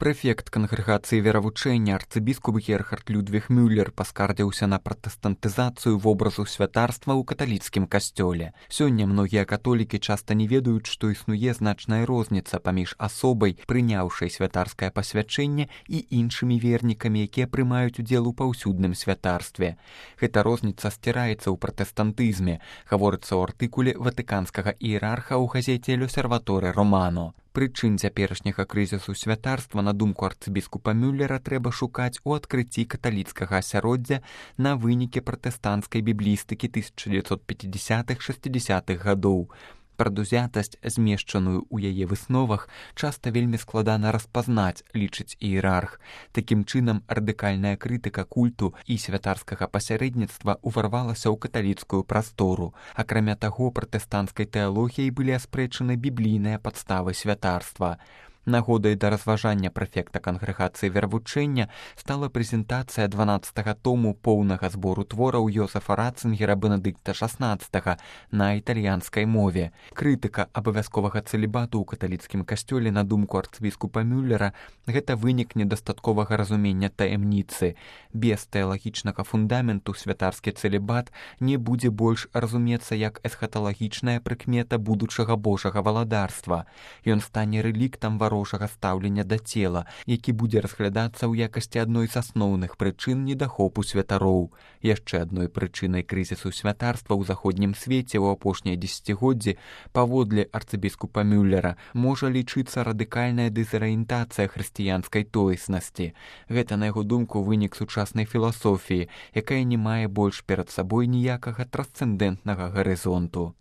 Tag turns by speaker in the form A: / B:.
A: Прэфект кангрэгацыі веравучэння арцыбіскуп Герхард Людвіг Мюллер паскардзіўся на пратэстантызацыю вобразу святарства ў каталіцкім касцёле. Сёння многія католікі часта не ведаюць, што існуе значная розніца паміж асобай, прыняўшай святарскае пасвячэнне, і іншымі вернікамі, якія прымаюць удзел у паўсюдным святарстве. Гэта розніца сціраецца ў пратэстантызме, гаворыцца ў артыкуле ватыканскага іерарха ў газеце «L'Osservatore Romano». Прычын цяперашняга крызісу святарства, на думку арцыбіскупа Мюллера, трэба шукаць у адкрыцці каталіцкага асяроддзя на вынікі пратэстанцкай біблістыкі 1950-60-х гадоў. Прадузятасць, змешчаную ў яе высновах, часта вельмі складана распазнаць, лічыць іерарх. Такім чынам, радыкальная крытыка культу і святарскага пасярэдніцтва ўварвалася ў каталіцкую прастору. Акрамя таго, пратэстанцкай тэалогіяй былі аспрэчаны біблійныя падставы святарства. Нагодай да разважання прэфекта кангрэгацыі веравучэння стала прэзентацыя 12-га тому поўнага збору твораў Йозефа Ратцынгера Бенедыкта XVI на італьянскай мове. Крытыка абавязковага цэлібату ў каталіцкім касцёле, на думку арцыбіскупа Мюллера, гэта вынік недастатковага разумення таямніцы. Без тэалагічнага фундаменту святарскі цэлібат не будзе больш разумецца як эсхаталагічная прыкмета будучага божага валадарства. Ён стане рэліктам варожага стаўлення да цела, які будзе разглядацца ў якасці адной з асноўных прычын недахопу святароў. Яшчэ адной прычынай крызісу святарства ў заходнім свеце ў апошнія дзесяцігоддзі, паводле арцыбіскупа Мюллера, можа лічыцца радыкальная дэзарыентацыя хрысціянскай тоеснасці. Гэта, на яго думку, вынік сучаснай філасофіі, якая не мае больш перад сабой ніякага трансцэндэнтнага гарызонту.